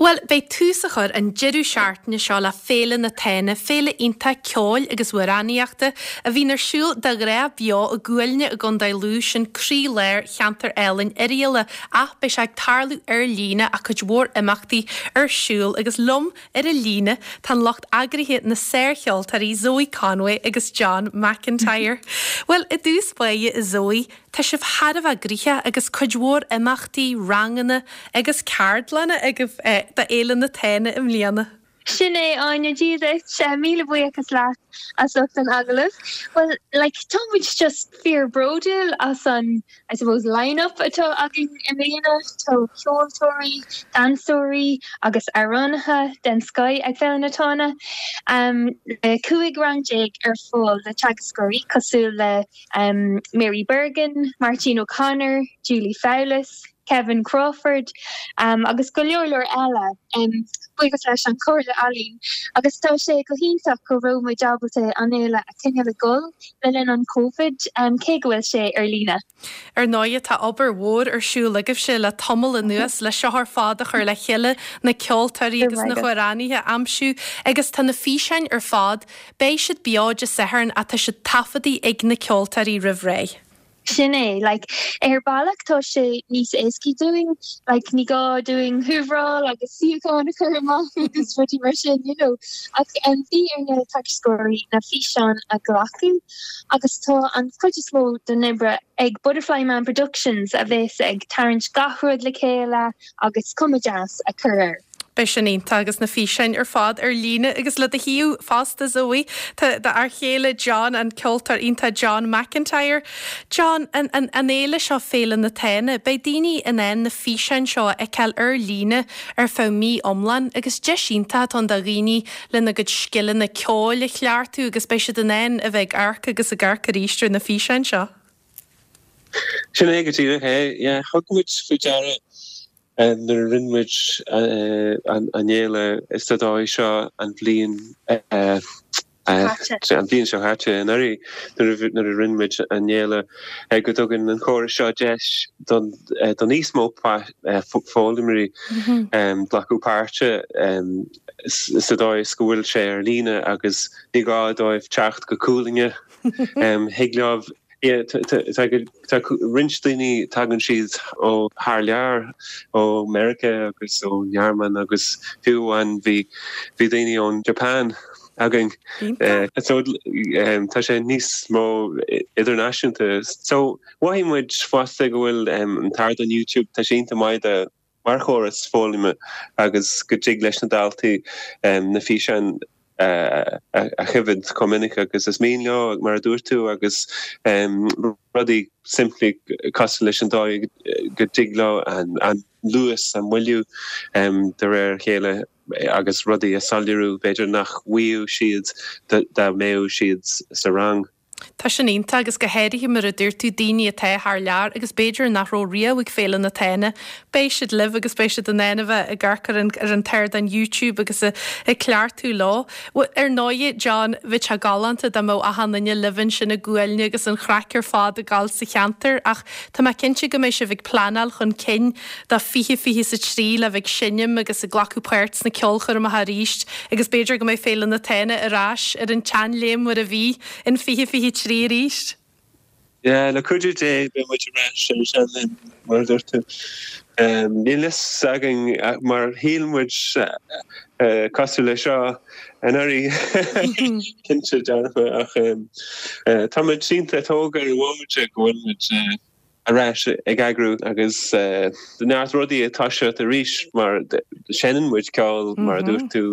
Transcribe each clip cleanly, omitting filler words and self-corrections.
Bhuel, beidh tús á chur an deireadh seachtaine seo le Féile na Tána, féile iontach ceoil agus amhránaíochta a bhíonn ar siúl de ghnáth beo i gCuailnge i gContae Lú, sin croí-lár cheantar álainn Oirialla, ach beidh sé ag tarlú ar líne ach cuid mhór imeachtaí ar siúl agus liom ar an líne tá an lucht eagraithe, na sárcheoltóirí Zoe Conway agus John McIntyre. Bhuel, i dtús báire, a Zoe, Tá sibh thar a bheith gnoitheach agus cuid mhór imeachtaí, ranganna agus ceardlanna agaibh do Fhéile na Tána i mbliana. Sin é, Áine, Dia duit. Míle buíochas leat as ucht an agallaimh. Bhuel, like, tá muid just fíor bródúil as an, I suppose, line-up atá againn i mbliana. Tá ceoltóirí, damhsóirí agus amhránaithe den scoth ag Féile na Tána. Le 15 rang ar fáil le teagascóirí cosúil le Mary Bergin, Máirtín O'Connor, Julie Fowlis, Kevin Crawford agus go leor leor eile, buíochas leis an Chomhairle Ealaíon. Agus tá sé go hiontach go raibh muid ábalta an fhéile a choinneáil ag dul le linn an Covid, cé go bhfuil sé ar líne. Ar ndóighe, tá obair mhór ar siúl agaibhse le tamall anuas le seo ar fad a chur le chéile, na ceoltóirí agus na hamhránaithe a aimsiú agus tá na físeáin ar fad Beidh siad beo Dé Sathairn ach tá siad taifeadtaí ag na ceoltóirí roimh ré. Sin é. Like, ar bealach tá sé níos éascaí dúinn, like, ní gá dúinn húvráil agus suíocháin a chur amach agus rudaí mar sin, you know. Ach em, bhí ar na teagascóirí na físeáin a ghlacadh agus tá an chuid is mó den oibre ag Butterfly Man Productions a bheas ag tarraingt gach rud le chéile agus cuma deas a chur air. Beidh sin iontach agus na físeáin ar fad ar líne agus le do thaobh fosta Zoe, tá d'fhear chéile John, an ceoltóir iontach John McIntyre. John, an, an, an fhéile seo, Féile na Tána, beidh daoine in ann na físeáin seo a fheiceáil ar líne ar feadh mí iomlán agus deis iontach atá ann do dhaoine lena gcuid scileanna ceoil a chleachtadh agus beidh siad in ann a bheith ag amharc agus ag amharc arís ar na físeáin seo. Sin é go díreach é. Yeah, thug muid faoi deara Nuair a rinne muid an fhéile sa dóigh seo an bhliain an bhliain seo caite anuraidh, nuair a rinne muid an fhéile, go dtugann an córas seo deis do níos mó foghlaimeoirí glacadh páirte sa dóigh is go bhfuil sé ar líne agus ní gá dóibh teacht go Cuailnge. Thig leo Tá roinnt daoine, tagann siad ó thar lear, ó Meiriceá agus ón nGearmáin agus fiú amháin bhí bhí daoine ón Japan againn. So tá sé níos mó idirnáisiúnta. So mhothaigh muid fosta go bhfuil an t-ardán YouTube, tá sé iontach maith do mar chóras foghlama agus go dtig leis na daltaí na físeáin a choimhéad chomh minic agus is mian leo, mar a dúirt tú, agus rudaí simplí cosúil leis an dóigh go dtig leo an luas a mhoilliú de réir a chéile agus rudaí a soiléiriú, b'fhéidir nach bhfaigheadh siad dá mbeadh siad sa rang. Tá sin iontach agus go háirithe mar a dúirt tú, daoine atá thar lear agus b'fhéidir nach raibh riamh ag Féile na Tána, beidh siad libh agus beidh siad in ann a bheith ag amharc ar an ar an t-ardán YouTube agus ag cleachtadh leo. Ar ndóigh, John, bheadh sé galánta dá mbeadh achan duine libh ansin i gCuailnge agus an chraic ar fad ag gabháil sa cheantar ach tá mé cinnte go mbeidh sibh ag pleanáil chun cinn do 2023 le bheith ag seinm agus ag glacadh páirt sna ceolchoirmeacha arís agus b'fhéidir go mbeidh Féile na Tána ar ais ar an tseanléim mar a bhí in 2023 arís. Yeah, le cuidiú Dé beidh muid ar ais ar an seanléim mar a dúirt tú. Níl fhios againn mar shíl muid cosúil le seo anuraidh cinnte dearfa ach tá muid iontach tógtha ar an bhomaite go bhfuil muid ar ais ag eagrú agus neart rudaí ag toiseacht arís mar seinneann muid ceol mar a dúirt tú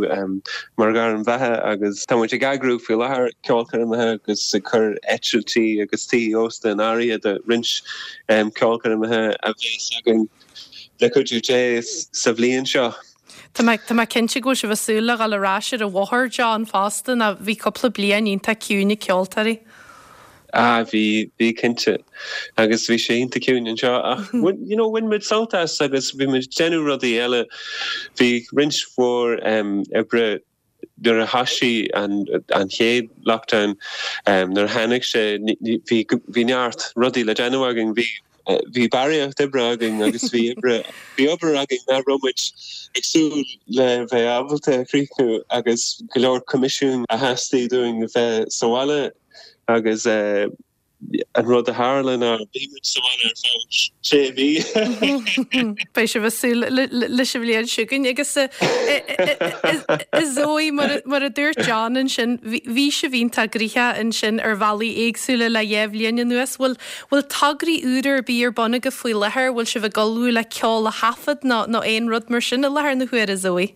mar ghairm bheatha agus tá muid ag eagrú faoi láthair ceolchoirmeacha agus ag cur eitiltí agus tithe ósta in áirithe do roinnt ceolchoirmeacha a bheas againn le cuidiú Dé sa bhliain seo. Tá mé, tá mé cinnte go bhfuil sibh ag súil le dhul ar ais ar an bhóthar, John, fosta, nó bhí cúpla bliain iontach ciúin ag ceoltóirí. Ah, bhí, bhí cinnte. Agus bhí sé iontach ciúin anseo ach bhain, you know, bhain muid sult as agus bhí muid ag déanamh rudaí eile. Bhí roinnt mhór em oibre nuair a thoisigh an, an chéad lockdown, em nuair a tháinig sé, bhí, bhí neart rudaí le déanamh againn. Bhí. Bhí barraíocht oibre againn agus bhí oibre, bhí obair againn nach raibh muid ag súil le bheith ábalta a chríochnú agus go leor coimisiún a theastaigh dúinn a bheith sa bhaile agus an rud a tharla ná bhí muid sa bhaile ar feadh sé mhí. Beidh sibh ag súil leis an bhliain seo chugainn agus a Zoe, mar a dúirt John ansin, bhí sibh iontach gnoitheach ansin ar bhealaí éagsúla le dhá bhliain anuas. Bhfuil Bhfuil tograí úra ar bith ar bun agaibh faoi láthair? Bhfuil sibh ag ullmhú le ceol a thaifead nó nó aon rud mar sin i láthair na huaire, Zoe?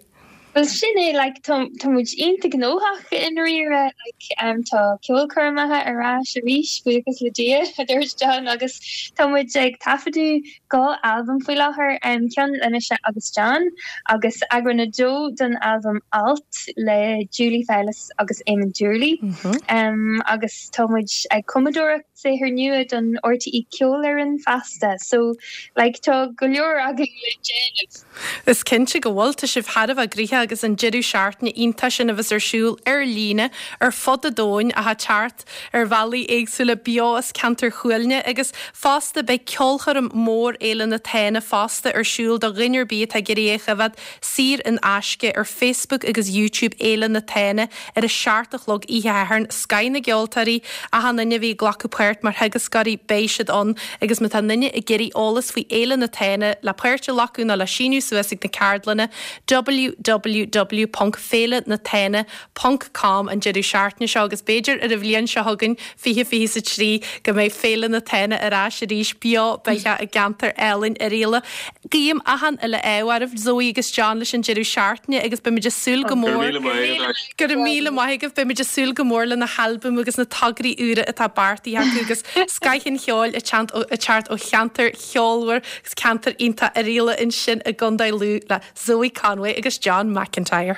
Bhuel sin é, like tá tá muid iontach gnóthach i ndáiríre, like em tá ceolchoirmeacha ar ais arís, buíochas le Dia, a dúirt John, agus tá muid ag taifeadadh 2 albam faoi láthair, em ceann le mise agus John agus eagrán a dó don albam Alt le Julie Fowlis agus Éamon Doorley. Em agus tá muid ag cumadóireacht saothar nua don RTÉ Ceolfhoireann feasta so like tá go leor againn le déanamh. Is cinnte go bhfuil, tá sibh thar a bheith gnoitheach agus an deireadh seachtaine iontach sin a bheas ar siúl ar líne ar fud an domhain ach ag teacht ar bhealaí éagsúla beo as ceantar Chuailgne agus fosta beidh ceolchoirm mór Fhéile na Tána fosta ar siúl do dhuine ar bith atá ag iarraidh é a choimhéad saor in aisce ar Facebook agus YouTube Fhéile na Tána ar a 7 a chlog oíche Shathairn, scoth na gceoltóirí, achan duine a bhí ag glacadh páirt mar theagascóirí, beidh siad ann agus má tá aon duine ag iarraidh eolas faoi Fhéile na Tána le páirt a ghlacadh nó le síniú suas ag na ceardlanna, www.féilenatana.com an deireadh seachtaine seo agus b'fhéidir ar an bhliain seo chugainn, 2023, go mbeidh Féile na Tána ar ais arís beo beathach i gceantar álainn Oirialla. Guím achan uile ádh oraibh, Zoe agus John, leis an deireadh seachtaine agus beimid ag súil go mór. Go raibh míle maith agaibh. Beimid ag súil go mór le na halbaim agus na tograí úra atá beartaithe acu agus scoth an cheoil ag teacht ó cheantar cheolmhar agus ceantar iontach Oirialla ansin i gContae Lú le Zoe Conway agus John McIntyre.